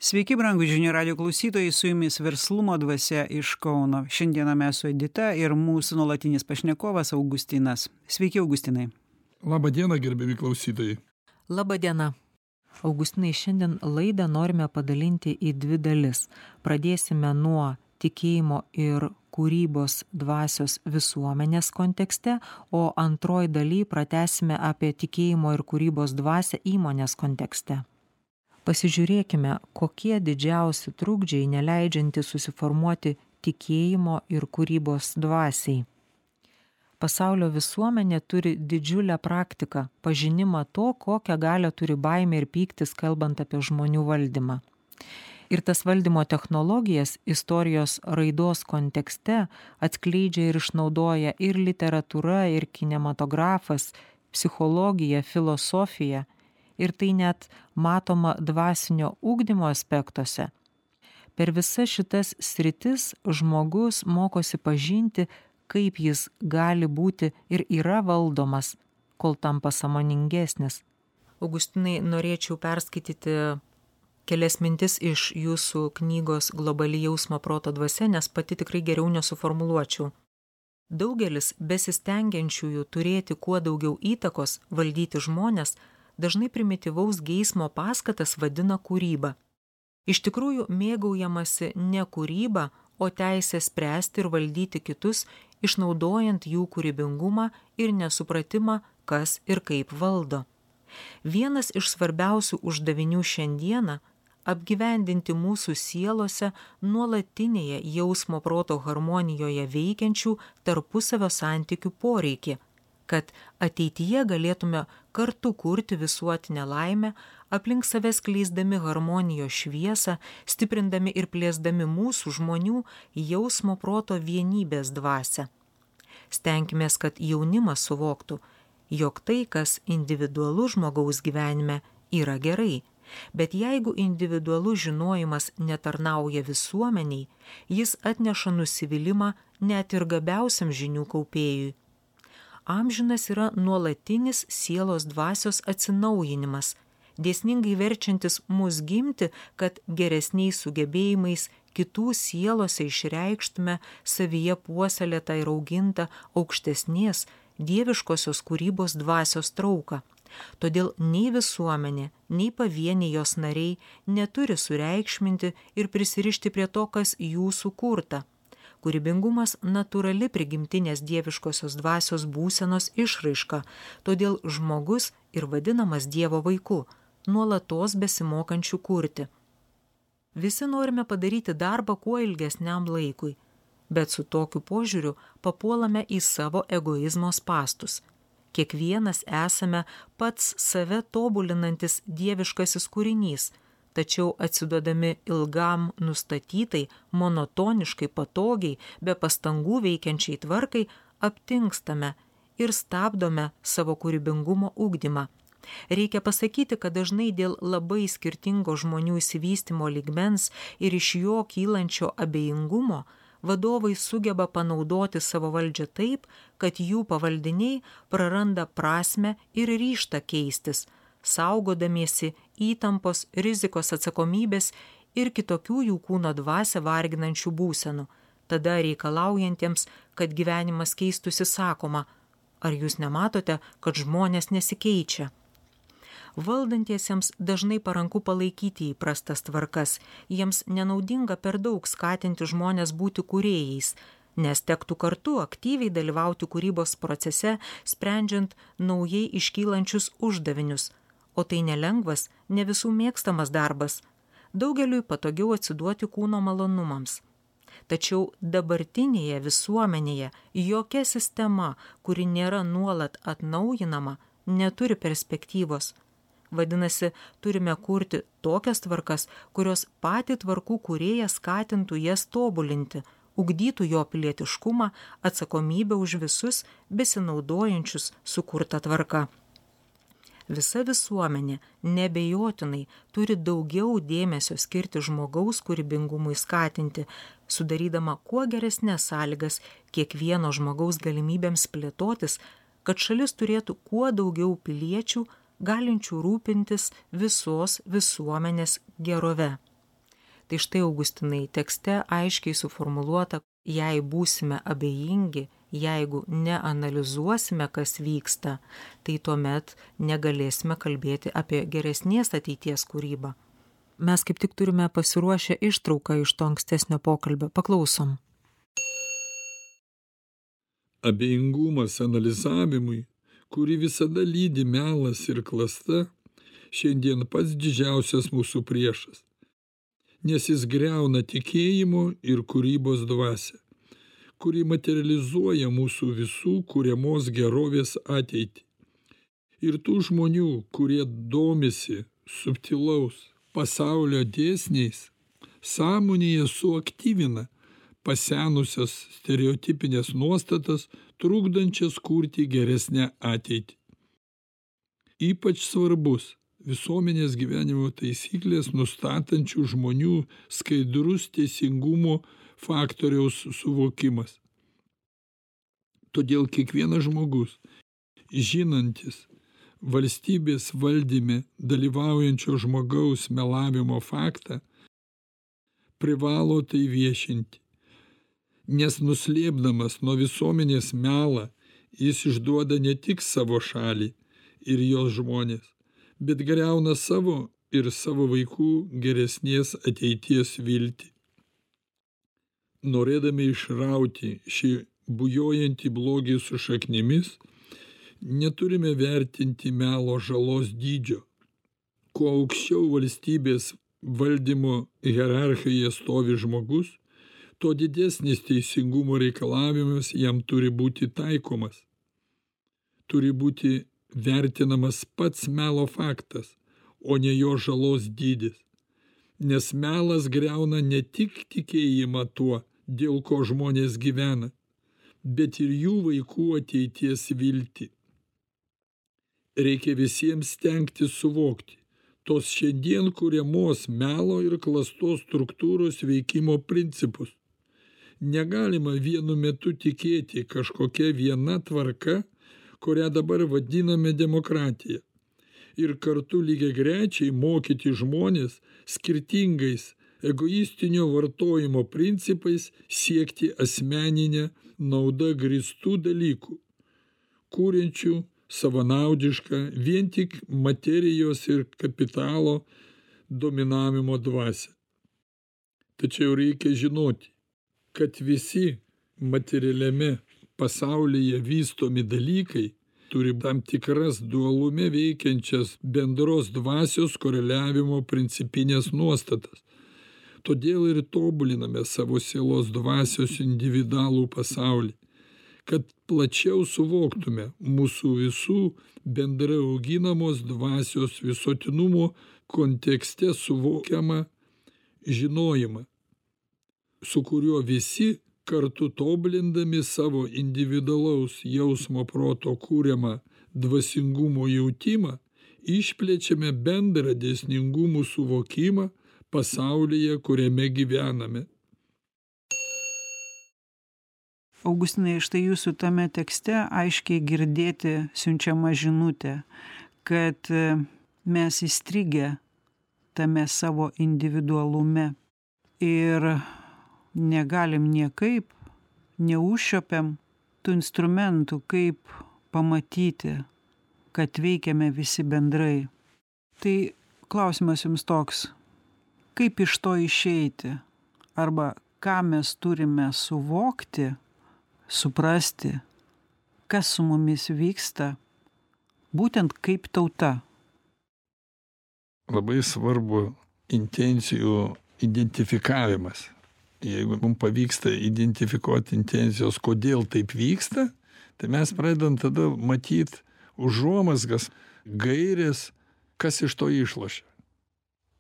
Sveiki, brangūs žinių radio klausytojai, su jumis Verslumo dvasia iš Kauno. Šiandieną mes su Edita ir mūsų nuolatinis pašnekovas Augustinas. Sveiki, Augustinai. Labą dieną, gerbiami klausytojai. Labą dieną. Augustinai, šiandien laidą norime padalinti į dvi dalis. Pradėsime nuo tikėjimo ir kūrybos dvasios visuomenės kontekste, o antroji daly pratęsime apie tikėjimo ir kūrybos dvasią įmonės kontekste. Pasižiūrėkime, kokie didžiausi trukdžiai neleidžiantys susiformuoti tikėjimo ir kūrybos dvasiai. Pasaulio visuomenė turi didžiulę praktiką, pažinimą to, kokią galią turi baimė ir pyktis, kalbant apie žmonių valdymą. Ir tas valdymo technologijas istorijos raidos kontekste atskleidžia ir išnaudoja ir literatūra, ir kinematografas, psichologija, filosofija. Ir tai net matoma dvasinio ugdymo aspektuose. Per visas šitas sritis žmogus mokosi pažinti, kaip jis gali būti ir yra valdomas, kol tampa sąmoningesnis. Augustinai, norėčiau perskaityti kelias mintis iš jūsų knygos Globali jausmo proto dvasia, nes pati tikrai geriau nesuformuluočiau. Daugelis besistengiančiųjų turėti kuo daugiau įtakos, valdyti žmones, dažnai primityvaus geismo paskatas vadina kūryba. Iš tikrųjų mėgaujamasi ne kūryba, o teisė spręsti ir valdyti kitus, išnaudojant jų kūrybingumą ir nesupratimą, kas ir kaip valdo. Vienas iš svarbiausių uždavinių šiandieną – apgyvendinti mūsų sielose nuolatinėje jausmo proto harmonijoje veikiančių tarpusavio santykių poreikį, kad ateityje galėtume kartu kurti visuotinę laimę, aplink save skleisdami harmonijos šviesą, stiprindami ir plėsdami mūsų žmonių jausmo proto vienybės dvasią. Stenkimės, kad jaunimas suvoktų, jog tai, kas individualu žmogaus gyvenime, yra gerai, bet jeigu individualus žinojimas netarnauja visuomeniai, jis atneša nusivylimą net ir gabiausiam žinių kaupėjui. Amžinas yra nuolatinis sielos dvasios atsinaujinimas, dėsningai verčiantis mus gimti, kad geresniais sugebėjimais kitų sielose išreikštume savyje puoselėtą ir augintą aukštesnės dieviškosios kūrybos dvasios trauką. Todėl nei visuomenė, nei pavieniai jos nariai neturi sureikšminti ir prisirišti prie to, kas jų sukurta. Kūrybingumas natūrali prigimtinės dieviškosios dvasios būsenos išraiška, todėl žmogus ir vadinamas Dievo vaiku, nuolatos besimokančių kurti. Visi norime padaryti darbą kuo ilgesniam laikui, bet su tokiu požiūriu papuolame į savo egoizmo spastus. Kiekvienas esame pats save tobulinantis dieviškasis kūrinys, tačiau atsiduodami ilgam nustatytai, monotoniškai, patogiai, be pastangų veikiančiai tvarkai, aptingstame ir stabdome savo kūrybingumo ugdymą. Reikia pasakyti, kad dažnai dėl labai skirtingo žmonių išsivystymo lygmens ir iš jo kylančio abejingumo vadovai sugeba panaudoti savo valdžią taip, kad jų pavaldiniai praranda prasmę ir ryžtą keistis, saugodamiesi įtampos, rizikos, atsakomybės ir kitokių jų kūno dvasią varginančių būsenų. Tada reikalaujantiems, kad gyvenimas keistųsi, sakoma, ar jūs nematote, kad žmonės nesikeičia? Valdantiesiems dažnai paranku palaikyti įprastas tvarkas, jiems nenaudinga per daug skatinti žmonės būti kūrėjais, nes tektų kartu aktyviai dalyvauti kūrybos procese, sprendžiant naujai iškylančius uždavinius. O tai nelengvas, ne visų mėgstamas darbas. Daugeliui patogiau atsiduoti kūno malonumams. Tačiau dabartinėje visuomenėje jokia sistema, kuri nėra nuolat atnaujinama, neturi perspektyvos. Vadinasi, turime kurti tokias tvarkas, kurios patį tvarkų kūrėją skatintų jas tobulinti, ugdytų jo pilietiškumą, atsakomybę už visus besinaudojančius sukurtą tvarką. Visa visuomenė neabejotinai turi daugiau dėmesio skirti žmogaus kūrybingumui skatinti, sudarydama kuo geresnės sąlygas kiekvieno žmogaus galimybėms plėtotis, kad šalis turėtų kuo daugiau piliečių, galinčių rūpintis visos visuomenės gerove. Tai štai, Augustinai, tekste aiškiai suformuluota, jei būsime abejingi, jeigu neanalizuosime, kas vyksta, tai tuomet negalėsime kalbėti apie geresnės ateities kūrybą. Mes kaip tik turime pasiruošę ištrauką iš to ankstesnio pokalbio. Paklausom. Abejingumas analizavimui, kurį visada lydi melas ir klasta, šiandien pats didžiausias mūsų priešas, nes jis griauna tikėjimo ir kūrybos dvasią, kuri materializuoja mūsų visų kuriamos gerovės ateitį. Ir tų žmonių, kurie domisi subtilaus pasaulio dėsniais, sąmonėje suaktyvina pasenusias stereotipinės nuostatas, trukdančias kurti geresnę ateitį. Ypač svarbus visuomenės gyvenimo taisyklės nustatančių žmonių skaidrus teisingumo faktoriaus suvokimas. Todėl kiekvienas žmogus, žinantis valstybės valdyme dalyvaujančio žmogaus melavimo faktą, privalo tai viešinti, nes nuslėpdamas nuo visuomenės melą, jis išduoda ne tik savo šalį ir jos žmonės, bet griauna savo ir savo vaikų geresnės ateities viltį. Norėdami išrauti šį bujojantį blogį su šaknimis, neturime vertinti melo žalos dydžio. Kuo aukščiau valstybės valdymo hierarchijoje stovi žmogus, tuo didesnis teisingumo reikalavimas jam turi būti taikomas. Turi būti vertinamas pats melo faktas, o ne jo žalos dydis. Nes melas griauna ne tik tikėjimą tuo, dėl ko žmonės gyvena, bet ir jų vaikų ateities viltį. Reikia visiems stengtis suvokti tos šiandien kuriamos melo ir klastos struktūros veikimo principus. Negalima vienu metu tikėti kažkokia viena tvarka, kurią dabar vadiname demokratija, ir kartu lygiagrečiai mokyti žmonės skirtingais egoistinio vartojimo principais siekti asmeninę naudą grįstų dalykų, kuriančių savanaudišką vien tik materijos ir kapitalo dominavimo dvasią. Tačiau reikia žinoti, kad visi materialiame pasaulyje vystomi dalykai turi tam tikras dualume veikiančias bendros dvasios koreliavimo principinės nuostatas. Todėl ir tobuliname savo sielos dvasios individualų pasaulį, kad plačiau suvoktume mūsų visų bendrai auginamos dvasios visuotinumo kontekste suvokiamą žinojimą, su kuriuo visi kartu tobulindami savo individualaus jausmo proto kūriamą dvasingumo jautimą, išplečiame bendrą dėsningumų suvokimą pasaulyje, kuriame gyvename. Augustinai, štai jūsų tame tekste aiškiai girdėti siunčiama žinutė, kad mes įstrigę tame savo individualume ir negalim niekaip, neužšiopiam tų instrumentų, kaip pamatyti, kad veikiame visi bendrai. Tai klausimas jums toks, kaip iš to išeiti? Arba ką mes turime suvokti, suprasti, kas su mumis vyksta, būtent kaip tauta? Labai svarbu intencijų identifikavimas. Jeigu mums pavyksta identifikuoti intencijos, kodėl taip vyksta, tai mes pradedam tada matyti užuomazgas, gairės, kas iš to išlošia.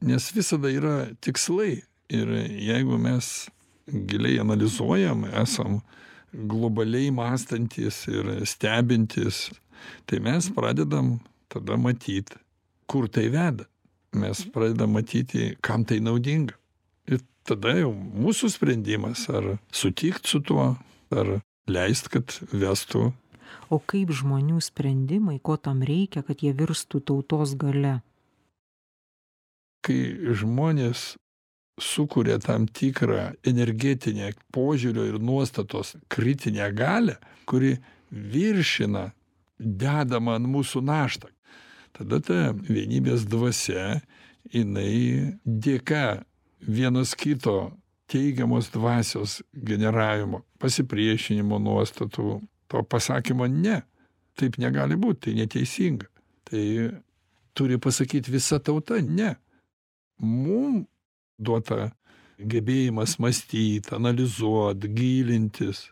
Nes visada yra tikslai. Ir jeigu mes giliai analizuojam, esam globaliai mąstantis ir stebintis, tai mes pradedam tada matyti, kur tai veda. Mes pradedam matyti, kam tai naudinga. Ir tada jau mūsų sprendimas, ar sutikt su tuo, ar leist, kad vestų. O kaip žmonių sprendimai, ko tam reikia, kad jie virstų tautos galia? Kai žmonės sukuria tam tikrą energetinę požiūrio ir nuostatos kritinę galią, kuri viršina dedamą ant mūsų naštą. Tada ta vienybės dvasia, jinai dėka vienas kito teigiamos dvasios generavimo, pasipriešinimo nuostatų, to pasakymo ne. Taip negali būti, tai neteisinga. Tai turi pasakyti visa tauta ne. Mums duota gebėjimas mąstyti, analizuoti, gilintis,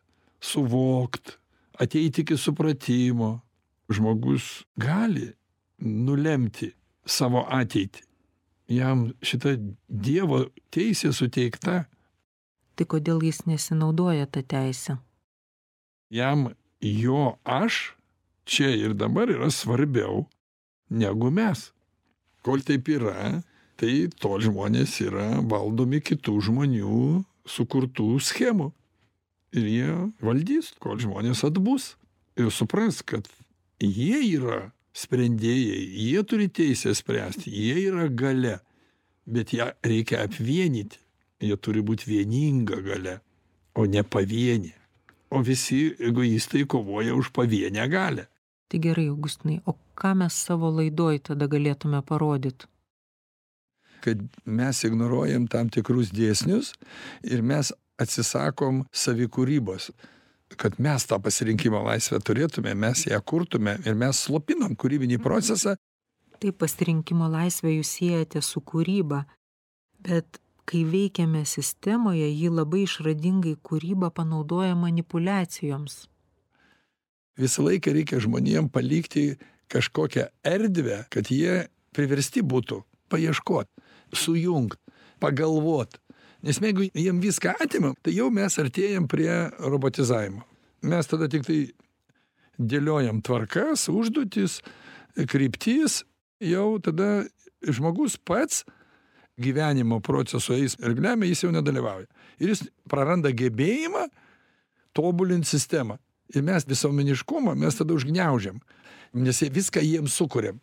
suvokti, ateiti iki supratimo. Žmogus gali nulemti savo ateitį. Jam šita Dievo teisė suteikta. Tai kodėl jis nesinaudoja tą teisę? Jam jo aš čia ir dabar yra svarbiau negu mes. Kol taip yra, tai tol žmonės yra valdomi kitų žmonių sukurtų schemų. Ir jie valdys, kol žmonės atbus. Ir supras, kad jie yra sprendėjai, jie turi teisę spręsti, jie yra galia, bet ją reikia apvienyti. Jie turi būti vieninga galia, o ne pavienė. O visi egoistai kovoja už pavienę galią. Tai gerai, Augustinai, o ką mes savo laidoj tada galėtume parodyti? Kad mes ignoruojam tam tikrus dėsnius ir mes atsisakom savikūrybos. Kad mes tą pasirinkimo laisvę turėtume, mes ją kurtume ir mes slopinam kūrybinį procesą. Taip, pasirinkimo laisvę jūs siejate su kūryba, bet kai veikiame sistemoje, ji labai išradingai kūrybą panaudoja manipuliacijoms. Visą laiką reikia žmonėm palikti kažkokią erdvę, kad jie priversti būtų paieškot, sujungt, pagalvot. Nes jeigu jiem viską atimam, tai jau mes artėjam prie robotizavimo. Mes tada tik tai dėliojam tvarkas, užduotis, kryptis, jau tada žmogus pats gyvenimo proceso eigle jis jau nedalyvauja. Ir jis praranda gebėjimą tobulinti sistemą. Ir mes visuomeniškumą mes tada užgniaužiam, nes viską jiems sukuriam.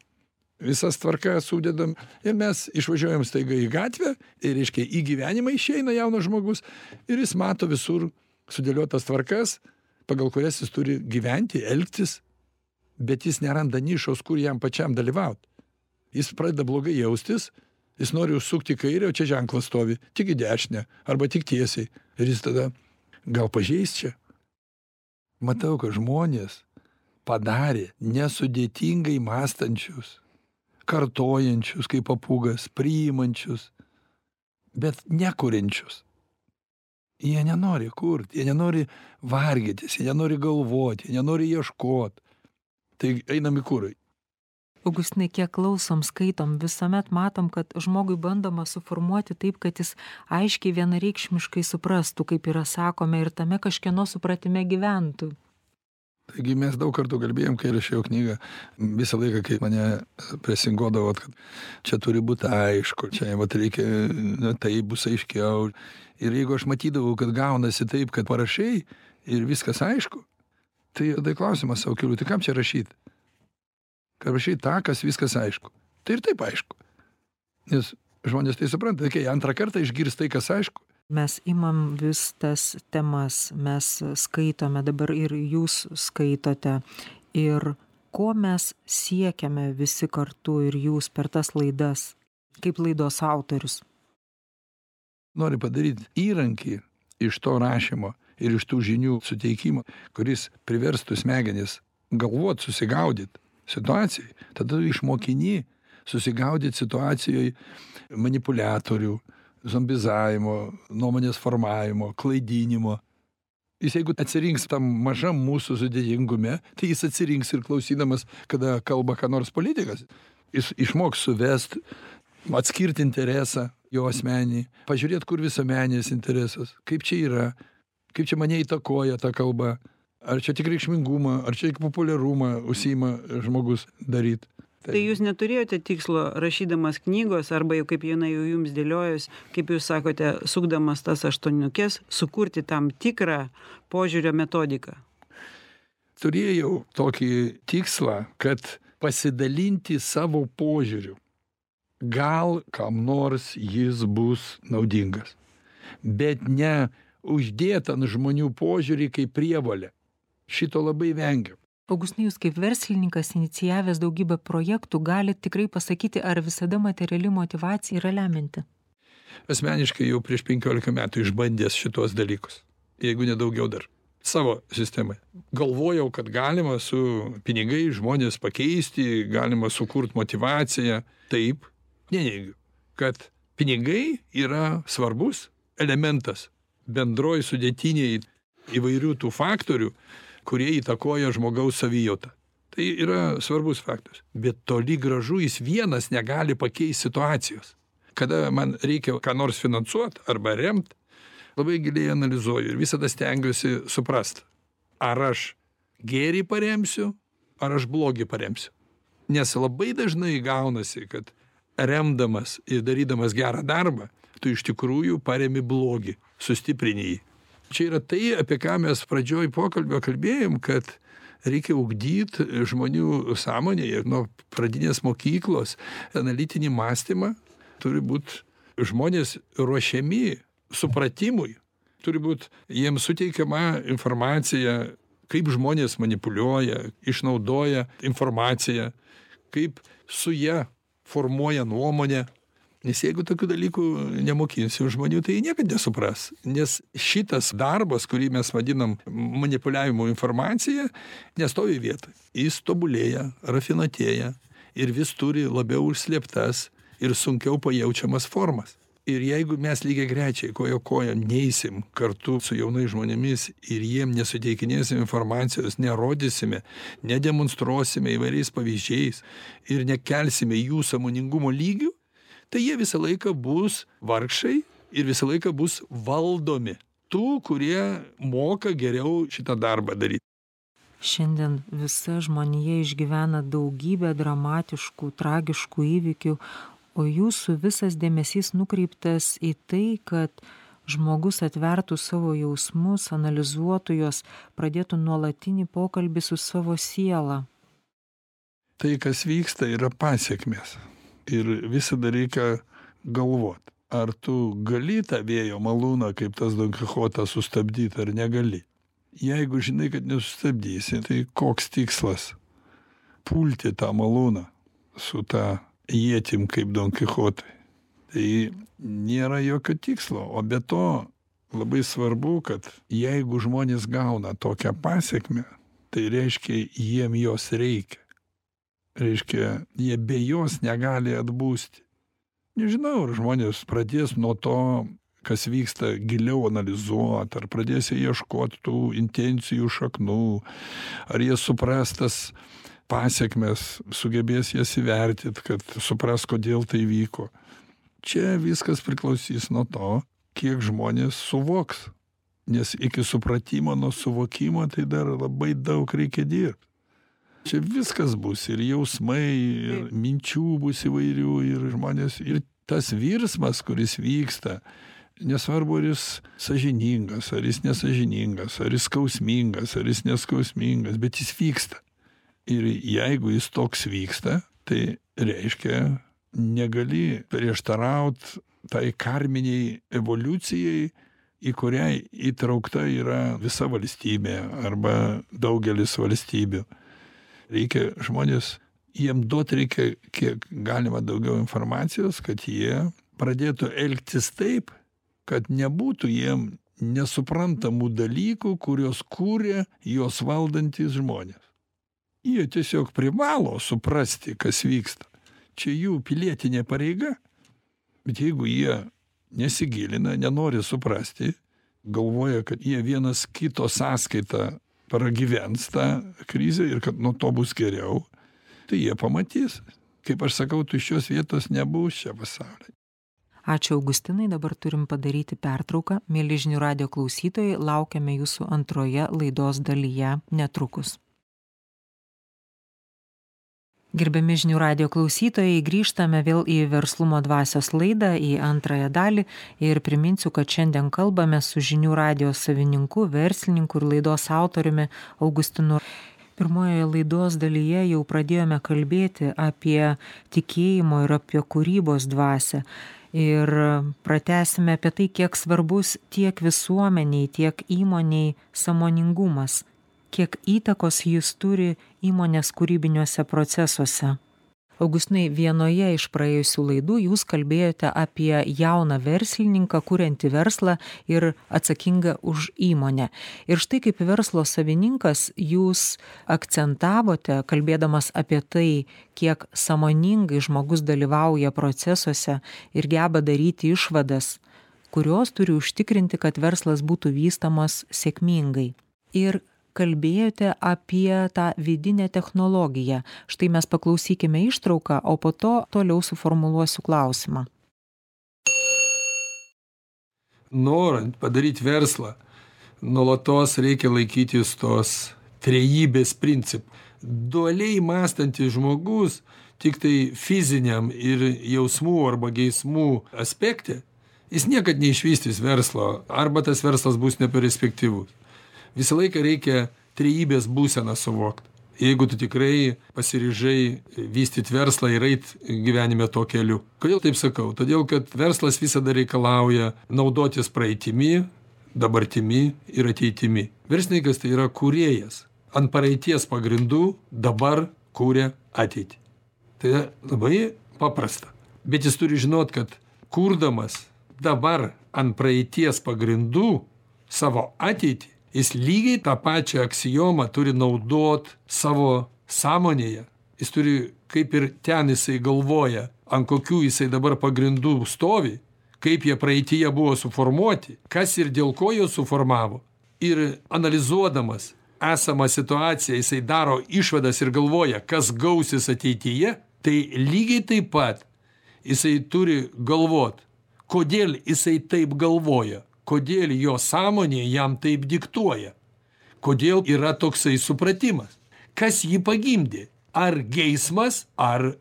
Visas tvarkas sudedam ir mes išvažiuojam staiga į gatvę ir, reiškia, į gyvenimą išeina jaunas žmogus ir jis mato visur sudėliotas tvarkas, pagal kurias jis turi gyventi, elgtis, bet jis neranda nišos, kur jam pačiam dalyvauti. Jis pradeda blogai jaustis, jis nori užsukti į kairę, o čia ženklas stovi, tik į dešinę arba tik tiesiai. Ir jis tada gal pažeis čia. Matau, kad žmonės padarė nesudėtingai mąstančius, kartojančius kaip papūgas, priimančius, bet nekuriančius. Jie nenori kurti, jie nenori vargytis, jie nenori galvoti, jie nenori ieškoti. Tai einam į kurą. Augustinai, kiek klausom, skaitom, visuomet matom, kad žmogui bandoma suformuoti taip, kad jis aiškiai vienareikšmiškai suprastų, kaip yra sakome, ir tame kažkieno supratime gyventų. Taigi mes daug kartų kalbėjom, kai rašiau knygą, visą laiką, kai mane presingodavo, kad čia turi būti aišku, čia vat reikia, tai bus aiškiau. Ir jeigu aš matydavau, kad gaunasi taip, kad parašai ir viskas aišku, tai klausimas savo keliu, tai kam čia rašyti? Kad rašai tą, kas viskas aišku. Tai ir taip aišku. Nes žmonės tai supranta, kai antrą kartą išgirs tai, kas aišku. Mes imam vis tas temas, mes skaitome, dabar ir jūs skaitote. Ir ko mes siekiame visi kartu ir jūs per tas laidas, kaip laidos autorius? Nori padaryti įrankį iš to rašymo ir iš tų žinių suteikimo, kuris priverstų smegenis galvot, susigaudyti situacijai. Tada išmokini susigaudyti situacijoje manipuliatorių, zombizavimo, nuomonės formavimo, klaidinimo. Jis jeigu atsirinks tam mažam mūsų sudėtingume, tai jis atsirinks ir klausydamas, kada kalba ką nors politikas. Jis išmoks suvest, atskirti interesą jo asmenį, pažiūrėti, kur visuomeninis interesas, kaip čia yra, kaip čia mane įtakoja ta kalba, ar čia tik reikšmingumą, ar čia tik populiarumą užsiima žmogus daryti. Tai jūs neturėjote tikslo, rašydamas knygos, arba jau kaip jinai jau jums dėliojus, kaip jūs sakote, sukdamas tas aštuoniukes, sukurti tam tikrą požiūrio metodiką? Turėjau tokį tikslą, kad pasidalinti savo požiūriu gal kam nors jis bus naudingas, bet ne uždėt ant žmonių požiūrį kaip prievolę. Šito labai vengiam. Augustinai, jūs kaip verslininkas, inicijavęs daugybę projektų, galite tikrai pasakyti, ar visada materiali motyvacija yra lemianti? Asmeniškai jau prieš 15 metų išbandęs šitos dalykus, jeigu nedaugiau dar, savo sistemai. Galvojau, kad galima su pinigai žmonės pakeisti, galima sukurti motyvaciją. Taip, neneigiu, kad pinigai yra svarbus elementas bendroj sudėtiniai įvairių tų faktorių, kurie įtakoja žmogaus savijautą. Tai yra svarbus faktorius. Bet toli gražu jis vienas negali pakeisti situacijos. Kada man reikia ką nors finansuoti arba remti, labai giliai analizuoju ir visada stengiuosi suprast, ar aš gėrį paremsiu, ar aš blogį paremsiu. Nes labai dažnai gaunasi, kad remdamas ir darydamas gerą darbą, tu iš tikrųjų paremi blogį, sustiprini jį. Čia yra tai, apie ką mes pradžioj pokalbio kalbėjom, kad reikia ugdyti žmonių sąmonėje nuo pradinės mokyklos analitinį mąstymą. Turi būti žmonės ruošiami supratimui, turi būti jiems suteikiama informacija, kaip žmonės manipuliuoja, išnaudoja informaciją, kaip su ja formuoja nuomonę. Nes jeigu tokių dalykų nemokinsim žmonių, tai jie niekada nesupras. Nes šitas darbas, kurį mes vadinam manipuliavimu informacija, nestovi vietoj. Jis tobulėja, rafinatėja ir vis turi labiau užslėptas ir sunkiau pajaučiamas formas. Ir jeigu mes lygiagrečiai koja kojon neisim kartu su jaunais žmonėmis ir jiem nesuteikinėsim informacijos, nerodysime, nedemonstruosime įvairiais pavyzdžiais ir nekelsime jų sąmoningumo lygių, tai jie visą laiką bus vargšai ir visą laiką bus valdomi tų, kurie moka geriau šitą darbą daryti. Šiandien visa žmonija išgyvena daugybę dramatiškų, tragiškų įvykių, o jūsų visas dėmesys nukreiptas į tai, kad žmogus atvertų savo jausmus, analizuotų juos, pradėtų nuolatinį pokalbį su savo siela. Tai, kas vyksta, yra pasekmės. Ir visada reikia galvot, ar tu gali tą vėjo malūną, kaip tas Don Kichotas, sustabdyti ar negali. Jeigu žinai, kad nesustabdysi, tai koks tikslas pulti tą malūną su tą ietim kaip Don Kichotui. Tai nėra jokio tikslo, o be to labai svarbu, kad jeigu žmonės gauna tokią pasekmę, tai reiškia, jiem jos reikia. Reiškia, jie be jos negali atbūsti. Nežinau, ar žmonės pradės nuo to, kas vyksta, giliau analizuoti, ar pradės ieškoti tų intencijų šaknų, ar jie supras tas pasekmes, sugebės jas įvertinti, kad supras, kodėl tai vyko. Čia viskas priklausys nuo to, kiek žmonės suvoks. Nes iki supratimo nuo suvokimo tai dar labai daug reikia dirbti. Čia viskas bus, ir jausmai, ir minčių bus įvairių, ir žmonės, ir tas virsmas, kuris vyksta, nesvarbu, ar jis sąžiningas, ar jis nesąžiningas, ar jis skausmingas, ar jis neskausmingas, bet jis vyksta. Ir jeigu jis toks vyksta, tai reiškia, negali prieštaraut tai karminiai evoliucijai, į kurią įtraukta yra visa valstybė arba daugelis valstybių. Reikia žmonės, jiem duot reikia kiek galima daugiau informacijos, kad jie pradėtų elgtis taip, kad nebūtų jiem nesuprantamų dalykų, kurios kūrė juos valdantis žmonės. Jie tiesiog privalo suprasti, kas vyksta. Čia jų pilietinė pareiga. Bet jeigu jie nesigilina, nenori suprasti, galvoja, kad jie vienas kito sąskaitą pragyvens tą krizę ir kad nuo to bus geriau, tai jie pamatys. Kaip aš sakau, tuščios vietos nebus čia pasaulyje. Ačiū Augustinai, dabar turim padaryti pertrauką. Mieli Žinių radijo klausytojai, laukiame jūsų antroje laidos dalyje netrukus. Gerbiami Žinių radijo klausytojai, grįžtame vėl į Verslumo dvasios laidą, į antrąją dalį ir priminsiu, kad šiandien kalbame su Žinių radijo savininku, verslininku ir laidos autoriumi Augustinu. Pirmojoje laidos dalyje jau pradėjome kalbėti apie tikėjimo ir apie kūrybos dvasią. Ir pratęsime apie tai, kiek svarbus tiek visuomeniai, tiek įmoniai sąmoningumas, kiek įtakos jis turi įmonės kūrybiniuose procesuose. Augustinai, vienoje iš praėjusių laidų jūs kalbėjote apie jauną verslininką, kuriantį verslą ir atsakingą už įmonę. Ir štai kaip verslo savininkas jūs akcentavote, kalbėdamas apie tai, kiek sąmoningai žmogus dalyvauja procesuose ir geba daryti išvadas, kurios turi užtikrinti, kad verslas būtų vystomas sėkmingai. Ir kalbėjote apie tą vidinę technologiją. Štai mes paklausykime ištrauką, o po to toliau suformuluosiu klausimą. Norint padaryti verslą, nuolatos reikia laikytis tos trejybės principų. Dualiai mąstantis žmogus tik tai fiziniam ir jausmų arba geismų aspekte, jis niekad neišvystys verslo, arba tas verslas bus neperspektyvus. Visą laiką reikia trejybės būseną suvokti. Jeigu tu tikrai pasiryžai vystyti verslą ir eit gyvenime to keliu. Kodėl taip sakau? Todėl, kad verslas visada reikalauja naudotis praeitimi, dabartimi ir ateitimi. Verslininkas tai yra kūrėjas. Ant praeities pagrindų dabar kūrė ateitį. Tai labai paprasta. Bet jis turi žinot, kad kurdamas dabar ant praeities pagrindų savo ateitį, jis lygiai tą pačią aksiomą turi naudot savo sąmonėje. Jis turi, kaip ir ten jisai galvoja, ant kokių jisai dabar pagrindų stovi, kaip jie praeityje buvo suformuoti, kas ir dėl ko juos suformavo. Ir analizuodamas esamą situaciją, jisai daro išvadas ir galvoja, kas gausis ateityje, tai lygiai taip pat jisai turi galvot, kodėl jisai taip galvoja. Kodėl jo sąmonė jam taip diktuoja? Kodėl yra toksai supratimas? Kas jį pagimdė? Ar geismas, ar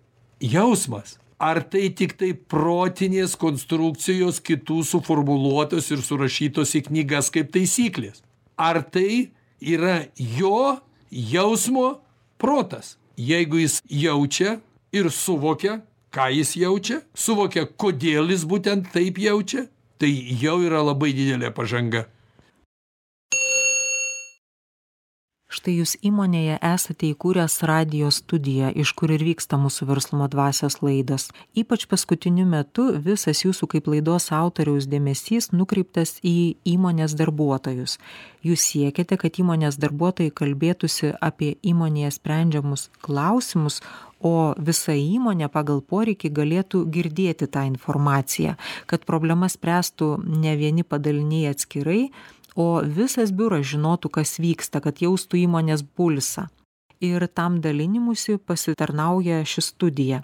jausmas? Ar tai tik tai protinės konstrukcijos kitų suformuluotos ir surašytos į knygas kaip taisyklės? Ar tai yra jo jausmo protas? Jeigu jis jaučia ir suvokia, ką jis jaučia, suvokia, kodėl jis būtent taip jaučia, tai jau yra labai didelė pažanga. Štai jūs įmonėje esate įkūręs radijo studiją, iš kur ir vyksta mūsų verslumo dvasios laidos. Ypač paskutiniu metu visas jūsų kaip laidos autoriaus dėmesys nukreiptas į įmonės darbuotojus. Jūs siekiate, kad įmonės darbuotojai kalbėtųsi apie įmonėje sprendžiamus klausimus, o visa įmonė pagal poreikį galėtų girdėti tą informaciją, kad problemas spręstų ne vieni padaliniai atskirai, o visas biuras žinotų, kas vyksta, kad jaustų įmonės pulsą. Ir tam dalinimusi pasitarnauja ši studija.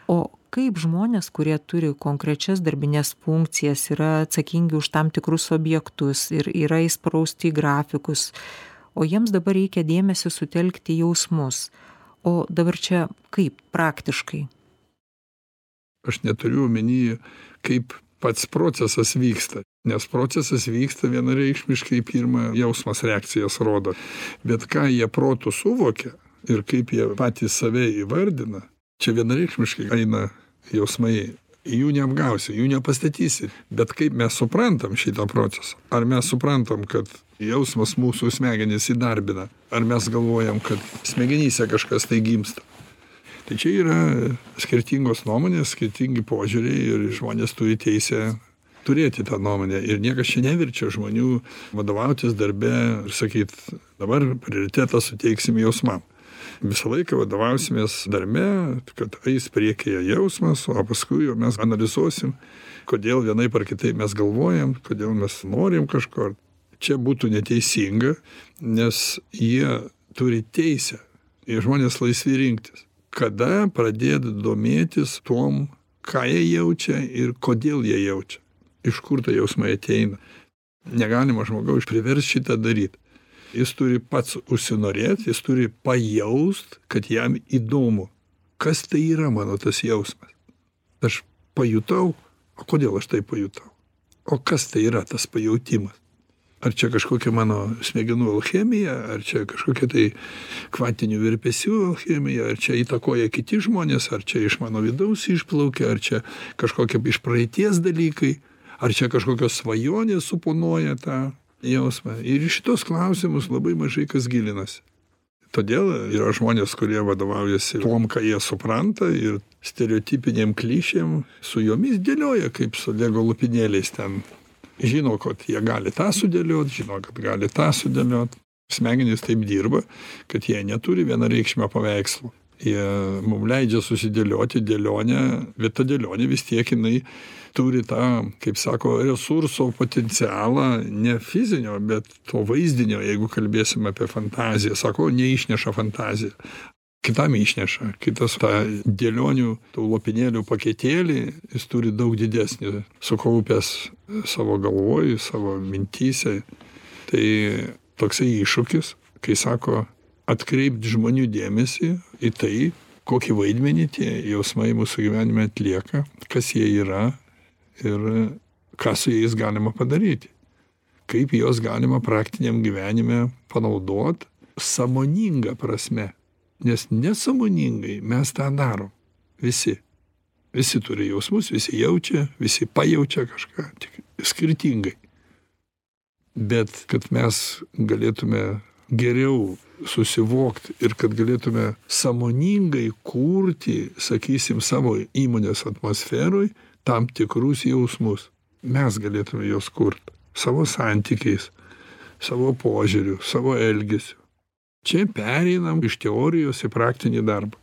O kaip žmonės, kurie turi konkrečias darbinės funkcijas, yra atsakingi už tam tikrus objektus ir yra įsprausti į grafikus, o jiems dabar reikia dėmesį sutelkti jausmus. O dabar čia kaip praktiškai? Aš neturiu omeny, kaip pats procesas vyksta. Nes procesas vyksta vienareikšmiškai pirmą jausmas reakcijas rodo. Bet ką jie protu suvokia ir kaip jie patys save įvardina, čia vienareikšmiškai eina jausmai. Jų neapgausi, jų nepastatysi. Bet kaip mes suprantam šitą procesą? Ar mes suprantam, kad jausmas mūsų smegenys įdarbina? Ar mes galvojam, kad smegenyse kažkas tai gimsta? Tai čia yra skirtingos nuomonės, skirtingi požiūriai ir žmonės turi teisę turėti tą nuomonę. Ir niekas čia neverčia žmonių vadovautis darbe ir sakyti, dabar prioritetą suteiksim jausmam. Visą laiką vadovausimės darbe, kad eis priekyje jausmas, o paskui jau mes analizuosim, kodėl vienaip ar kitaip mes galvojam, kodėl mes norim kažko. Čia būtų neteisinga, nes jie turi teisę ir žmonės laisvi rinktis. Kada pradėti domėtis tom, ką jie jaučia ir kodėl jie jaučia. Iš kur ta jausmai ateina. Negalima žmogaus priversti šitą daryti. Jis turi pats užsinorėti, jis turi pajaust, kad jam įdomu, kas tai yra mano tas jausmas. Aš pajutau, o kodėl aš tai pajutau? O kas tai yra tas pajautimas? Ar čia kažkokia mano smegenų alchemija, ar čia kažkokia tai kvantinių virpesių alchemija, ar čia įtakoja kiti žmonės, ar čia iš mano vidaus išplaukia, ar čia kažkokie iš praeities dalykai, ar čia kažkokios svajonės suponuoja tą jausmą. Ir į šitos klausimus labai mažai kas gilinasi. Todėl yra žmonės, kurie vadovaujasi tuom, ką jie supranta, ir stereotipinėm klišėm su jomis dėlioja, kaip su lego lopinėliais ten. Žino, kad jie gali tą sudėliot, žino, kad gali tą sudėliot. Smegenys taip dirba, kad jie neturi vienareikšmio paveikslo. Jie mums leidžia susidėlioti dėlionę, bet ta dėlionė vis tiek jinai turi tą, kaip sako, resurso potencialą, ne fizinio, bet to vaizdinio, jeigu kalbėsim apie fantaziją. Sako, neišneša fantaziją. Kitam išneša. Kitas tą dėlionių, tų lopinėlių paketėlį, jis turi daug didesnį, sukaupęs savo galvoj, savo mintyse. Tai toksai iššūkis, kai sako, atkreipti žmonių dėmesį į tai, kokį vaidmenį tie jausmai mūsų gyvenime atlieka, kas jie yra ir ką su jais galima padaryti. Kaip juos galima praktiniam gyvenime panaudot sąmoninga prasme. Nes nesąmoningai mes tą darom. Visi. Visi turi jausmus, visi jaučia, visi pajaučia kažką, tik skirtingai. Bet kad mes galėtume geriau susivokti ir kad galėtume sąmoningai kurti, sakysim, savo įmonės atmosferoj tam tikrus jausmus. Mes galėtume juos kurti savo santykiais, savo požiūriu, savo elgesiu. Čia pereinam iš teorijos į praktinį darbą.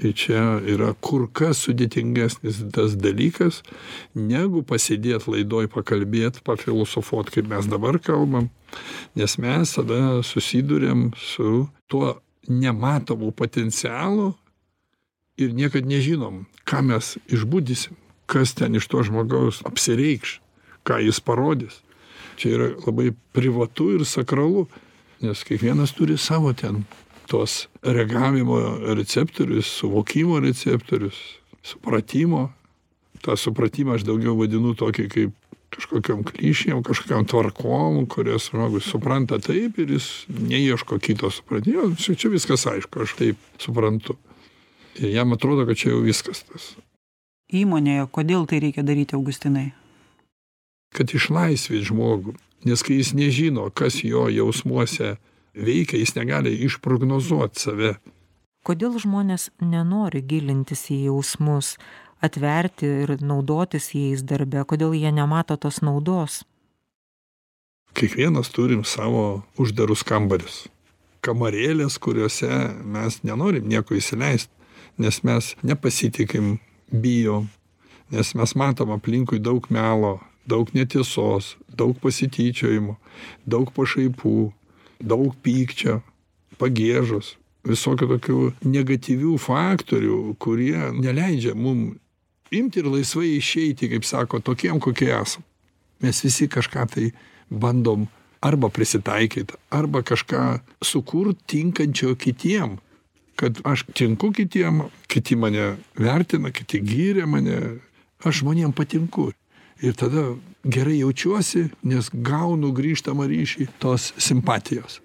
Ir čia yra kur kas sudėtingesnis tas dalykas, negu pasėdėt laidoj pakalbėt, pafilosofuot, kaip mes dabar kalbam, nes mes tada susiduriam su tuo nematomu potencialu ir niekad nežinom, ką mes išbudysim, kas ten iš to žmogaus apsireikš, ką jis parodys. Čia yra labai privatu ir sakralu. Nes kiekvienas turi savo ten tos reagavimo receptorius, suvokimo receptorius, supratimo. tą supratimą aš daugiau vadinu tokį kaip kažkokiom klišėm, kažkokiom tvarkom, kurias žmogus supranta taip ir jis neieško kito supratimo. Čia viskas aišku, aš taip suprantu. Ir jam atrodo, kad čia jau viskas tas. Įmonėje, kodėl tai reikia daryti, Augustinai? Kad išlaisvėt žmogų. Nes kai jis nežino, kas jo jausmuose veikia, jis negali išprognozuoti save. Kodėl žmonės nenori gilintis į jausmus, atverti ir naudotis jais darbe? Kodėl jie nemato tos naudos? Kiekvienas turim savo uždarus kambarius. Kamarėlės, kuriuose mes nenorim nieko įsileisti, nes mes nepasitikim, bijom, nes mes matom aplinkui daug melo, daug netiesos, daug pasityčiojimo, daug pašaipų, daug pykčio, pagiežos, visokių tokių negatyvių faktorių, kurie neleidžia mum imti ir laisvai išeiti, kaip sako, tokiem, kokie esam. Mes visi kažką tai bandom arba prisitaikyti, arba kažką sukurt tinkančio kitiem, kad aš tinku kitiem, kiti mane vertina, kiti gyrė mane, aš žmonėm patinku. Ir tada gerai jaučiuosi, nes gaunu grįžtamą ryšį tos simpatijos.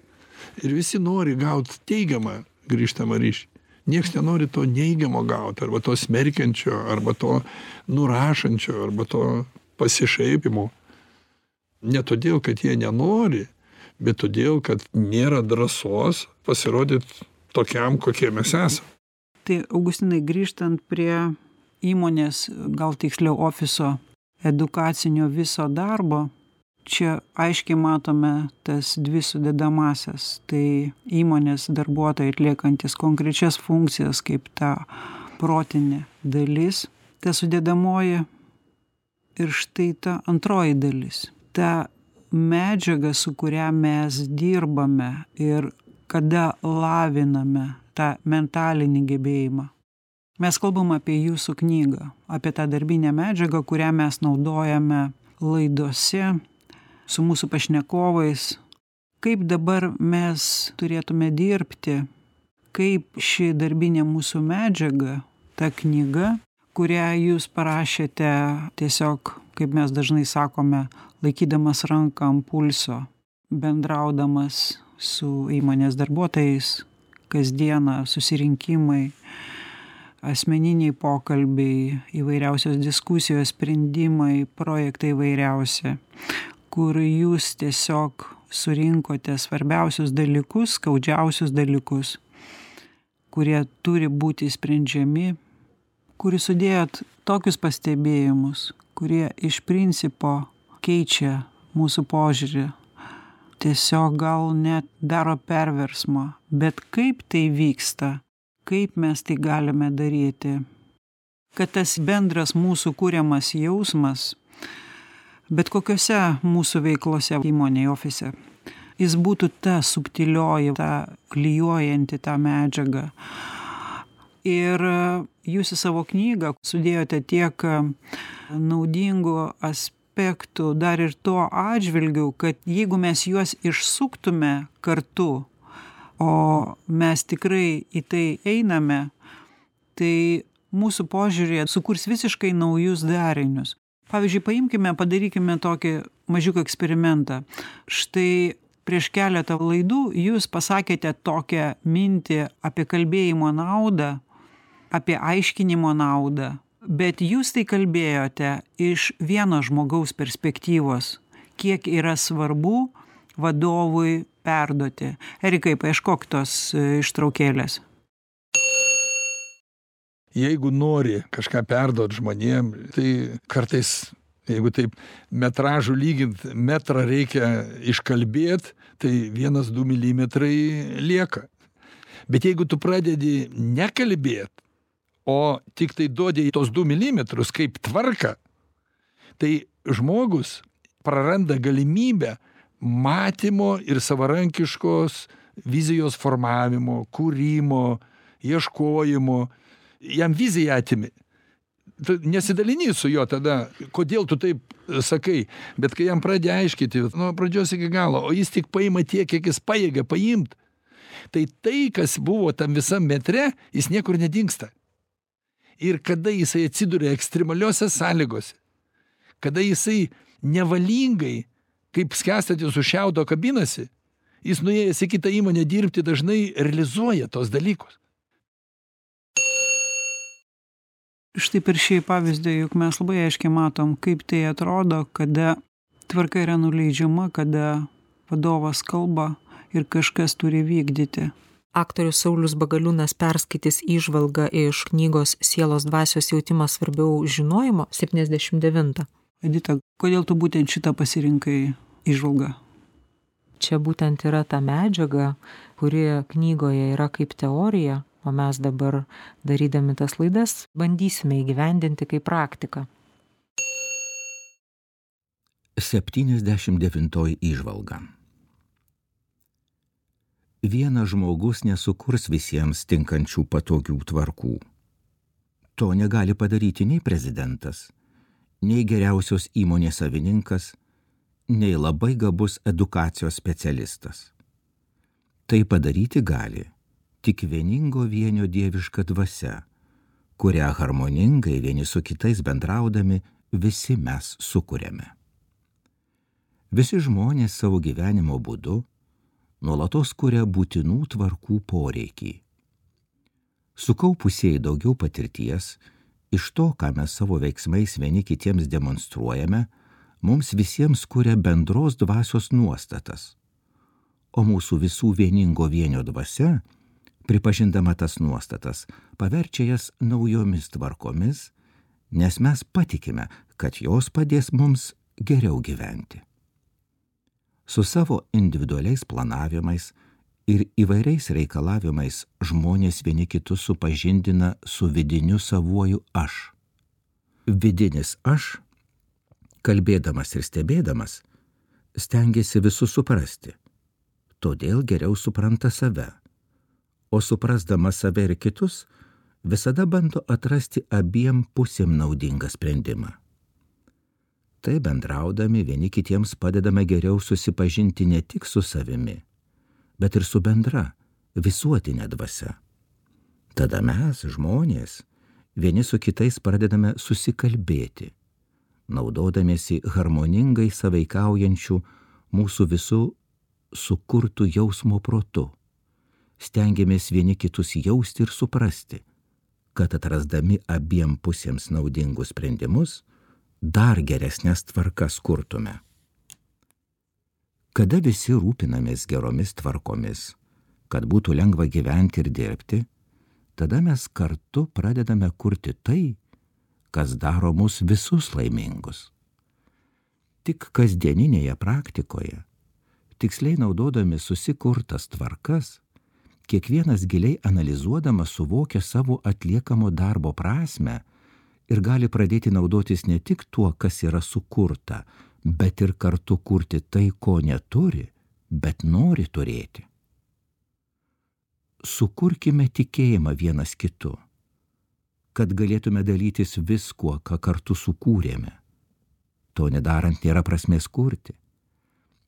Ir visi nori gauti teigiamą grįžtamą ryšį. Niekas nenori to neigiamo gauti, arba to smerkiančio, arba to nurašančio, arba to pasišaipimo. Ne todėl, kad jie nenori, bet todėl, kad nėra drąsos pasirodyti tokiam, kokie mes esame. Tai, Augustinai, grįžtant prie įmonės, gal tiksliau ofiso edukacinio viso darbo, čia aiškiai matome tas dvi sudedamąsias. Tai įmonės darbuotojai atliekantis konkrečias funkcijas kaip ta protinė dalis, ta sudedamoji ir štai ta antroji dalis. Ta medžiaga, su kuria mes dirbame ir kada laviname tą mentalinį gebėjimą. Mes kalbam apie jūsų knygą, apie tą darbinę medžiagą, kurią mes naudojame laidose su mūsų pašnekovais. Kaip dabar mes turėtume dirbti, kaip ši darbinė mūsų medžiaga, ta knyga, kurią jūs parašėte tiesiog, kaip mes dažnai sakome, laikydamas ranką ant pulso, bendraudamas su įmonės darbuotojais, kasdieną susirinkimai, asmeniniai pokalbiai, įvairiausios diskusijos, sprendimai, projektai įvairiausi, kur jūs tiesiog surinkote svarbiausius dalykus, skaudžiausius dalykus, kurie turi būti sprendžiami, kurį sudėjot tokius pastebėjimus, kurie iš principo keičia mūsų požiūrį, tiesiog gal net daro perversmą. Bet kaip tai vyksta, kaip mes tai galime daryti, kad tas bendras mūsų kuriamas jausmas, bet kokiose mūsų veiklose, įmonėje, ofise, jis būtų ta subtilioji, ta klijuojanti tą medžiagą. Ir jūs į savo knygą sudėjote tiek naudingų aspektų dar ir tuo atžvilgiu, kad jeigu mes juos išsuktume kartu, o mes tikrai į tai einame, tai mūsų požiūrėje sukurs visiškai naujus darinius. Pavyzdžiui, padarykime tokį mažiuką eksperimentą. Štai prieš keletą laidų jūs pasakėte tokią mintį apie kalbėjimo naudą, apie aiškinimo naudą, bet jūs tai kalbėjote iš vieno žmogaus perspektyvos, kiek yra svarbu vadovui perduoti. Erikai, paieškok tos ištraukėlės. Jeigu nori kažką perduot žmonėm, tai kartais, jeigu taip metražų lygint, metrą reikia iškalbėt, tai 1-2 milimetrai lieka. Bet jeigu tu pradedi nekalbėt, o tik tai duodi tos 2 milimetrus kaip tvarką, tai žmogus praranda galimybę matymo ir savarankiškos vizijos formavimo, kūrimo, ieškojimo. Jam viziją atimi. Tu nesidalini su juo tada, kodėl tu taip sakai, bet kai jam pradedi aiškiti, nuo pradžios iki galo, o jis tik paima tiek, kiek jis pajėgia paimt, tai tai, kas buvo tam visam metre, jis niekur nedingsta. Ir kada jisai atsiduria ekstremaliuose sąlygose, kada jisai nevalingai, kaip skęstantis už šiaudo kabinasi, jis nuėjęs į kitą įmonę dirbti dažnai realizuoja tos dalykus. Štai per šį pavyzdį, juk mes labai aiškiai matom, kaip tai atrodo, kada tvarka yra nuleidžiama, kada vadovas kalba ir kažkas turi vykdyti. Aktorius Saulius Bagaliūnas perskaitys įžvalgą iš knygos Sielos dvasios jautimas svarbiau žinojimo 79. Edita, kodėl tu būtent šitą pasirinkai įžvalgą? Čia būtent yra ta medžiaga, kuri knygoje yra kaip teorija, o mes dabar, darydami tas laidas, bandysime įgyvendinti kaip praktiką. 79 įžvalga. Vienas žmogus nesukurs visiems tinkančių patogių tvarkų. To negali padaryti nei prezidentas, nei geriausios įmonės savininkas, nei labai gabus edukacijos specialistas. Tai padaryti gali tik vieningo vienio dieviška dvasia, kurią harmoningai vieni su kitais bendraudami visi mes sukuriame. Visi žmonės savo gyvenimo būdu nuolatos kuria būtinų tvarkų poreikį. Sukaupusieji daugiau patirties, iš to, ką mes savo veiksmais vieni kitiems demonstruojame, mums visiems kuria bendros dvasios nuostatas, o mūsų visų vieningo vienio dvasia, pripažindama tas nuostatas, paverčia jas naujomis tvarkomis, nes mes patikime, kad jos padės mums geriau gyventi. Su savo individualiais planavimais ir įvairiais reikalavimais žmonės vieni kitus supažindina su vidiniu savuoju aš. Vidinis aš, kalbėdamas ir stebėdamas, stengiasi visus suprasti, todėl geriau supranta save, o suprasdamas save ir kitus, visada bando atrasti abiem pusėm naudingą sprendimą. Tai bendraudami vieni kitiems padedame geriau susipažinti ne tik su savimi, bet ir su bendra, visuotinė dvasia. Tada mes, žmonės, vieni su kitais pradedame susikalbėti, naudodamiesi harmoningai sąveikaujančių mūsų visų sukurtų jausmo protu. Stengiamės vieni kitus jausti ir suprasti, kad atrasdami abiem pusėms naudingus sprendimus, dar geresnės tvarkas kurtume. Kada visi rūpinamės geromis tvarkomis, kad būtų lengva gyventi ir dirbti, tada mes kartu pradedame kurti tai, kas daro mus visus laimingus. Tik kasdieninėje praktikoje, tiksliai naudodami susikurtas tvarkas, kiekvienas giliai analizuodamas suvokia savo atliekamo darbo prasmę ir gali pradėti naudotis ne tik tuo, kas yra sukurta, bet ir kartu kurti tai, ko neturi, bet nori turėti. Sukurkime tikėjimą vienas kitu, kad galėtume dalytis viskuo, ką kartu sukūrėme. To nedarant nėra prasmės kurti.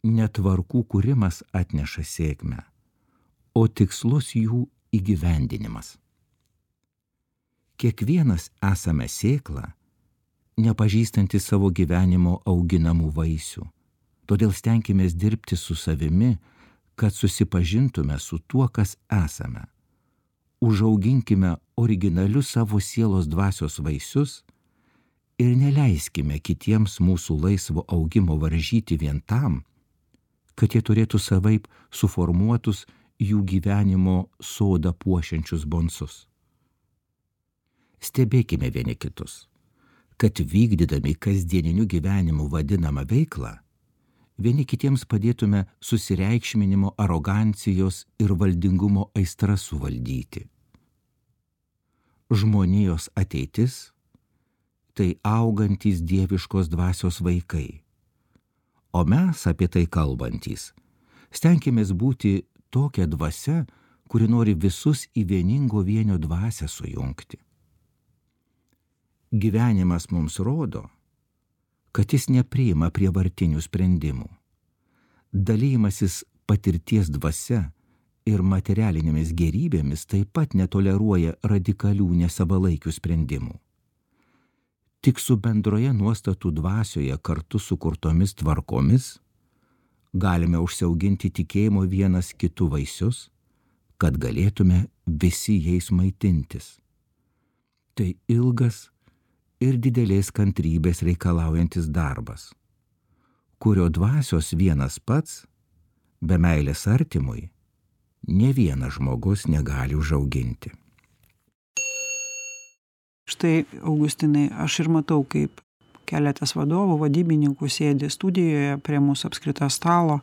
Netvarkų kūrimas atneša sėkmę, o tikslus jų įgyvendinimas. Kiekvienas esame sėkla, nepažįstanti savo gyvenimo auginamų vaisių. Todėl stenkimės dirbti su savimi, kad susipažintume su tuo, kas esame. Užauginkime originalius savo sielos dvasios vaisius ir neleiskime kitiems mūsų laisvo augimo varžyti vien tam, kad jie turėtų savaip suformuotus jų gyvenimo sodą puošiančius bonsus. Stebėkime vieni kitus, kad vykdydami kasdieniniu gyvenimu vadinamą veiklą, vieni kitiems padėtume susireikšminimo, arogancijos ir valdingumo aistras suvaldyti. Žmonijos ateitis – tai augantys dieviškos dvasios vaikai, o mes apie tai kalbantys stenkimės būti tokia dvasia, kuri nori visus į vieningo vienio dvasią sujungti. Gyvenimas mums rodo, kad jis nepriima prievartinių sprendimų. Dalymasis patirties dvasia ir materialinėmis gėrybėmis taip pat netoleruoja radikalių nesavalaikių sprendimų. Tik su bendroje nuostatų dvasioje kartu sukurtomis tvarkomis galime užsiauginti tikėjimo vienas kitų vaisius, kad galėtume visi jais maitintis. Tai ilgas ir didelės kantrybės reikalaujantis darbas, kurio dvasios vienas pats, be meilės artimui, ne vienas žmogus negali užauginti. Štai, Augustinai, aš ir matau, kaip keletas vadovų, vadybininkų sėdi studijoje prie mūsų apskrito stalo,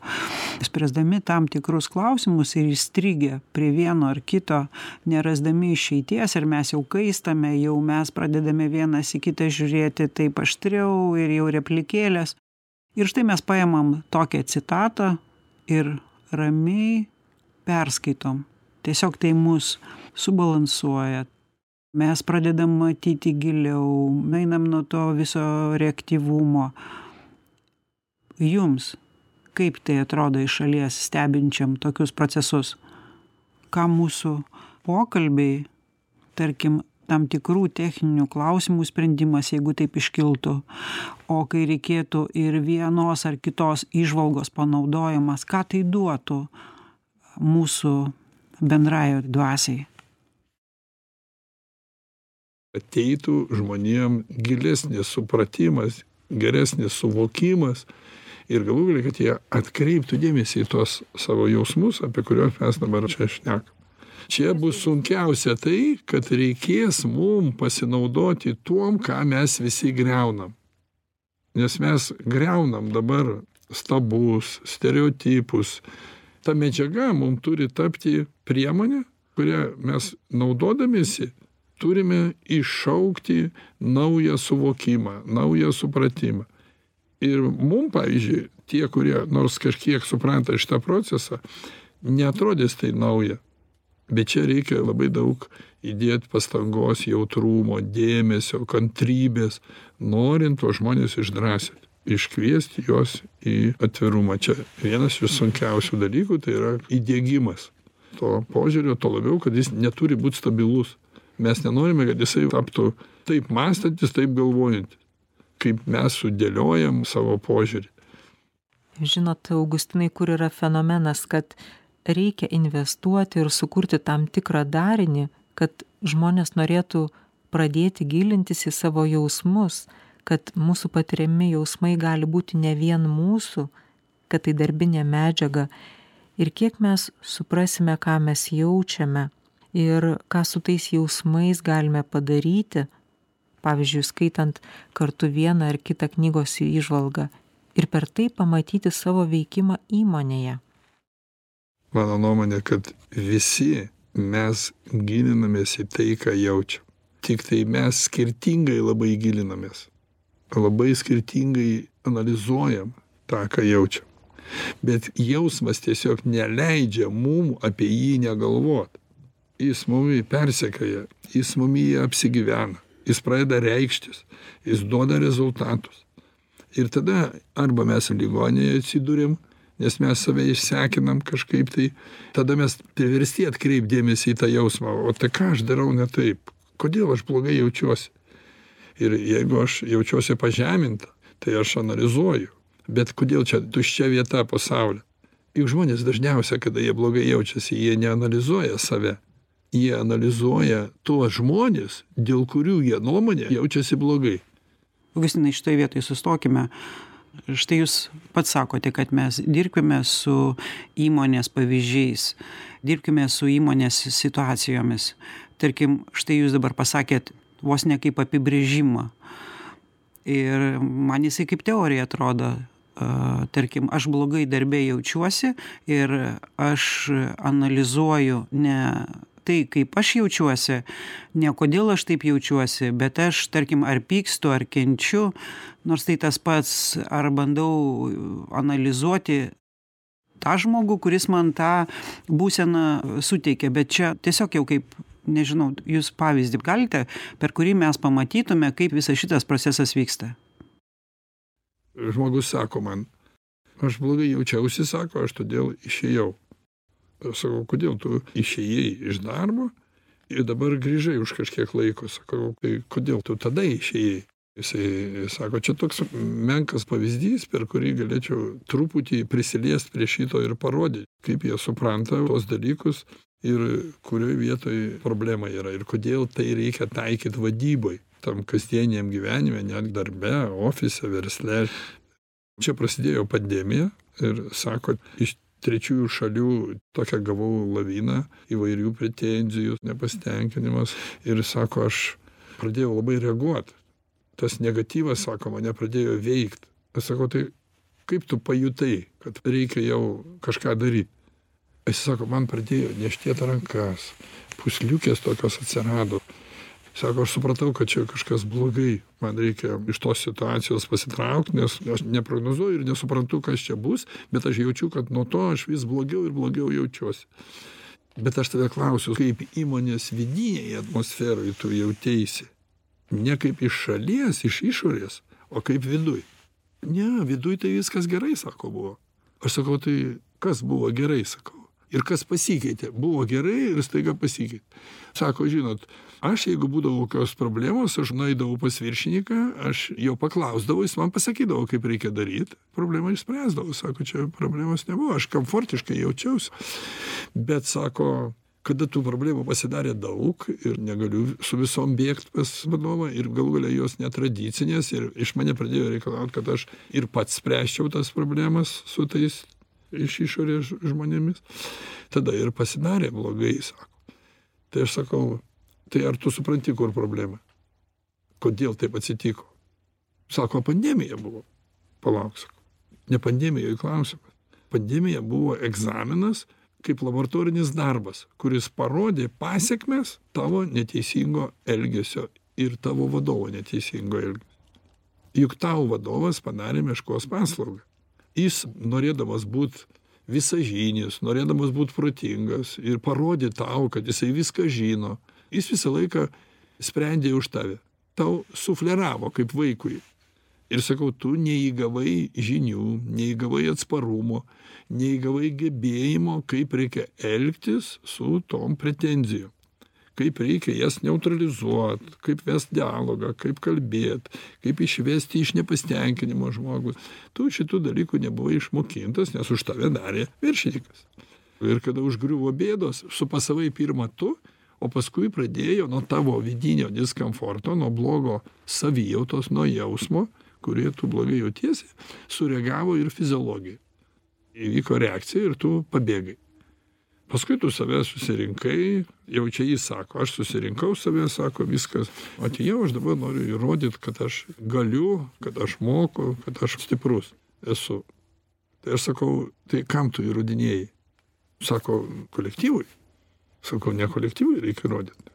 spręsdami tam tikrus klausimus ir įstrigę prie vieno ar kito, nerasdami išeities, ir mes jau kaistame, jau mes pradedame vienas į kitą žiūrėti taip aštriau ir jau replikėlės. Ir štai mes paimam tokią citatą ir ramiai perskaitom. Tiesiog tai mus subalansuoja. Mes pradedam matyti giliau, einam nuo to viso reaktyvumo. Jums, kaip tai atrodo iš šalies stebinčiam tokius procesus? Ką mūsų pokalbiai, tarkim, tam tikrų techninių klausimų sprendimas, jeigu taip iškiltų, o kai reikėtų ir vienos ar kitos įžvalgos panaudojimas, ką tai duotų mūsų bendrajo dvasiai? Ateitų žmonėm gilesnis supratimas, geresnis suvokimas ir galų galia, kad jie atkreiptų dėmesį į tos savo jausmus, apie kuriuos mes dabar čia šnekam. Čia bus sunkiausia tai, kad reikės mum pasinaudoti tuom, ką mes visi greunam. Nes mes greunam dabar stabus, stereotipus. Ta medžiaga mum turi tapti priemonė, kurią mes naudodamiesi turime iššaukti naują suvokimą, naują supratimą. Ir mum, pavyzdžiui, tie, kurie nors kažkiek supranta šitą procesą, neatrodys tai nauja. Bet čia reikia labai daug įdėti pastangos, jautrumo, dėmesio, kantrybės, norint tuos žmonės išdrąsinti, iškviesti juos į atvirumą. Čia vienas iš sunkiausių dalykų, tai yra įdiegimas to požiūrio, to labiau, kad jis neturi būti stabilus. Mes nenorime, kad jisai taptų taip mąstantis, taip galvojantis, kaip mes sudėliojam savo požiūrį. Žinot, Augustinai, kur yra fenomenas, kad reikia investuoti ir sukurti tam tikrą darinį, kad žmonės norėtų pradėti gilintis į savo jausmus, kad mūsų patiriami jausmai gali būti ne vien mūsų, kad tai darbinė medžiaga. Ir kiek mes suprasime, ką mes jaučiame ir ką su tais jausmais galime padaryti, pavyzdžiui, skaitant kartu vieną ar kitą knygos įžvalgą, ir per tai pamatyti savo veikimą įmonėje. Mano nuomonė, kad visi mes gilinamės į tai, ką jaučiam. Tik tai mes skirtingai labai gilinamės. Labai skirtingai analizuojam tą, ką jaučiam. Bet jausmas tiesiog neleidžia mum apie jį negalvot. Jis mumį persekioja, jis mumį apsigyvena, jis pradeda reikštis, jis duoda rezultatus. Ir tada arba mes ligoninėje atsidūrėm, nes mes save išsekinam kažkaip tai, tada mes priversti atkreipdėmėsi į tą jausmą, o tai ką aš darau ne taip, kodėl aš blogai jaučiuosi. Ir jeigu aš jaučiuosi pažeminta, tai aš analizuoju, bet kodėl čia tuščia vieta pasaulyje. Juk žmonės dažniausiai, kada jie blogai jaučiasi, jie neanalizuoja save, jie analizuoja tuos žmonės, dėl kurių jie nuomonė jaučiasi blogai. Augustinai, šitoje vietoje sustokime. Štai jūs pats sakote, kad mes dirbkime su įmonės pavyzdžiais, dirbkime su įmonės situacijomis. Tarkim, štai jūs dabar pasakėt vos ne kaip apibrėžimą. Ir man jisai kaip teorija atrodo. Tarkim, aš blogai darbe jaučiuosi ir aš analizuoju ne tai, kaip aš jaučiuosi, ne kodėl aš taip jaučiuosi, bet aš, tarkim, ar pykstu, ar kenčiu, nors tai tas pats, ar bandau analizuoti tą žmogų, kuris man tą būseną suteikia, bet čia tiesiog jau kaip, nežinau, jūs pavyzdį galite, per kurį mes pamatytume, kaip visas šitas procesas vyksta. Žmogus sako man, aš blogai jaučiausi, sako, aš todėl išėjau. Aš sakau, kodėl tu išėjai iš darbo ir dabar grįžai už kažkiek laiko. Sakau, tai kodėl tu tada išėjai? Jisai sako, čia toks menkas pavyzdys, per kurį galėčiau truputį prisiliest prie šito ir parodyti, kaip jie supranta tos dalykus ir kurioje vietoje problema yra ir kodėl tai reikia taikyti vadybai, tam kasdieniam gyvenime, net darbe, ofise, versle. Čia prasidėjo pandemija ir sako, iš trečiųjų šalių tokią gavau laviną įvairių pretenzijų, nepasitenkinimas ir sako, aš pradėjau labai reaguoti. Tas negatyvas, sako, mane pradėjo veikti. Aš sakau, tai kaip tu pajutai, kad reikia jau kažką daryti? Jis sako, man pradėjo niežtėti rankas, pūsliukės tokios atsirado. Sako, aš supratau, kad čia kažkas blogai, man reikia iš tos situacijos pasitraukti, nes aš neprognozuoju ir nesuprantu, kas čia bus, bet aš jaučiu, kad nuo to aš vis blogiau ir blogiau jaučiuosi. Bet aš tave klausiu, kaip įmonės vidinėje atmosferoje tu jauteisi. Ne kaip iš šalies, iš išorės, o kaip viduj. Ne, viduj tai viskas gerai, sako, buvo. Aš sakau, tai kas buvo gerai, sakau. Ir kas pasikeitė? Buvo gerai ir staiga pasikeitė. Sako, žinot, aš jeigu būdavo kokios problemos, aš nueidavau pas viršininką, aš jo paklausdavau, jis man pasakydavo, kaip reikia daryti. Problemą išspręsdavau. Sako, čia problemos nebuvo, aš komfortiškai jaučiausi. Bet sako, kada tų problemų pasidarė daug ir negaliu su visom bėgti pas vadovą ir galų galia jos netradicinės ir iš mane pradėjo reikalauti, kad aš ir pats spręsčiau tas problemas su tais iš išorės žmonėmis, tada ir pasidarė blogai, sako. Tai aš sakau, tai ar tu supranti, kur problema? Kodėl taip atsitiko? Sako, pandemija buvo. Palauk, sako. Ne pandemija, klausimas. Pandemija buvo egzaminas kaip laboratorinis darbas, kuris parodė pasekmes tavo neteisingo elgesio ir tavo vadovo neteisingo elgesio. Juk tau vadovas padarė meškos paslaugą. Jis norėdamas būti visažinis, norėdamas būti protingas ir parodė tau, kad jisai viską žino, jis visą laiką sprendė už tave. Tau sufleravo kaip vaikui. Ir sakau, tu neįgavai žinių, neįgavai atsparumo, neįgavai gebėjimo, kaip reikia elgtis su tom pretenzijom. kaip reikia jas neutralizuoti, kaip vest dialogą, kaip kalbėti, kaip išvesti iš nepasitenkinimo žmogus. Tu šitų dalykų nebuvai išmokintas, nes už tave darė viršininkas. Ir kada užgriuvo bėdos, supasavai pirmą tu, o paskui pradėjo nuo tavo vidinio diskomforto, nuo blogo savijautos, nuo jausmo, kurie tu blogai jautiesi, sureagavo ir fiziologija. Įvyko reakcija ir tu pabėgai. Paskui tu save susirinkai, jau čia jis sako, aš susirinkau save, sako, viskas. Atėjau, aš dabar noriu įrodyti, kad aš galiu, kad aš moku, kad aš stiprus esu. Tai aš sakau, tai kam tu įrodinėjai? Sako, kolektyvui. Sakau, ne kolektyvui reikia įrodyti.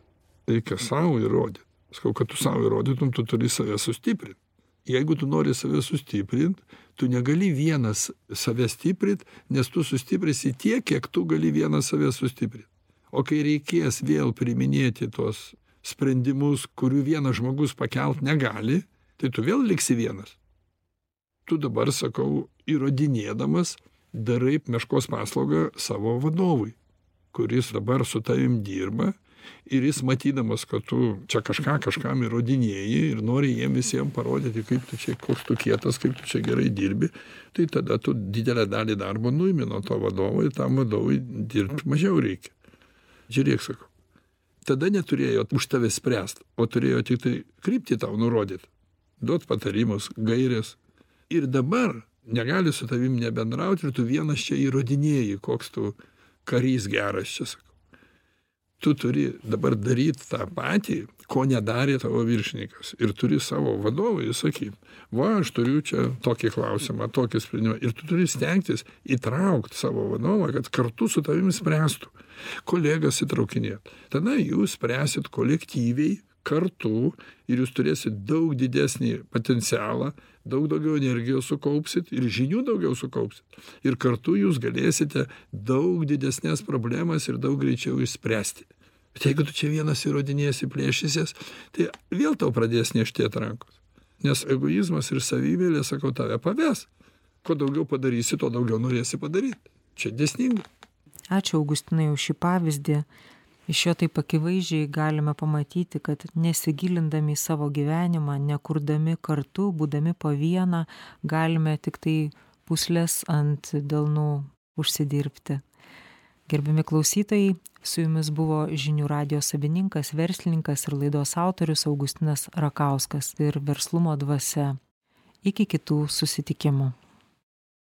Reikia savo įrodyti. Sakau, kad tu savo įrodytum, tu turi save sustiprinti. Jeigu tu nori save sustiprinti, tu negali vienas save stiprinti, nes tu sustiprinsi tiek, kiek tu gali vienas save sustiprinti. O kai reikės vėl priiminėti tos sprendimus, kurių vienas žmogus pakelt negali, tai tu vėl liksi vienas. Tu dabar, sakau, įrodinėdamas, darai meškos paslaugą savo vadovui, kuris dabar su tavim dirba ir jis matydamas, kad tu čia kažkam įrodinėji ir nori jiem visiems parodyti, kaip tu čia, koks tu kietas, kaip tu čia gerai dirbi, tai tada tu didelę dalį darbo nuimi nuo to vadovo ir tam vadovui dirbti mažiau reikia. Žiūrėk, sakau. Tada neturėjo už tave spręsti, o turėjo tik tai kryptį tau nurodyti, duot patarimus, gairės. Ir dabar negali su tavim nebendrauti ir tu vienas čia įrodinėji, koks tu karys geras čia, sakau. Tu turi dabar daryti tą patį, ko nedarė tavo viršininkas. Ir turi savo vadovui sakyti, va, aš turiu čia tokį klausimą, tokį sprendimą. Ir tu turi stengtis įtraukti savo vadovą, kad kartu su tavimi spręstų. Kolegas įtraukinėt. Tada jūs spręsit kolektyviai, kartu ir jūs turėsit daug didesnį potencialą, daug daugiau energijos sukaupsit ir žinių daugiau sukaupsit. Ir kartu jūs galėsite daug didesnės problemas ir daug greičiau išspręsti. Bet jeigu tu čia vienas įrodinėsi, plėšysies, tai vėl tau pradės niežtėti rankos. Nes egoizmas ir savivėlė, sakau, tave paves. Kuo daugiau padarysi, to daugiau norėsi padaryti. Čia dėsninga. Ačiū, Augustinai, už šį pavyzdį. Iš jo taip akivaizdžiai galime pamatyti, kad nesigilindami į savo gyvenimą, nekurdami kartu, būdami po vieną, galime tik tai pūslės ant delnų užsidirbti. Gerbiami klausytojai, su jumis buvo Žinių radijo savininkas, verslininkas ir laidos autorius Augustinas Rakauskas ir Verslumo dvasia. Iki kitų susitikimų.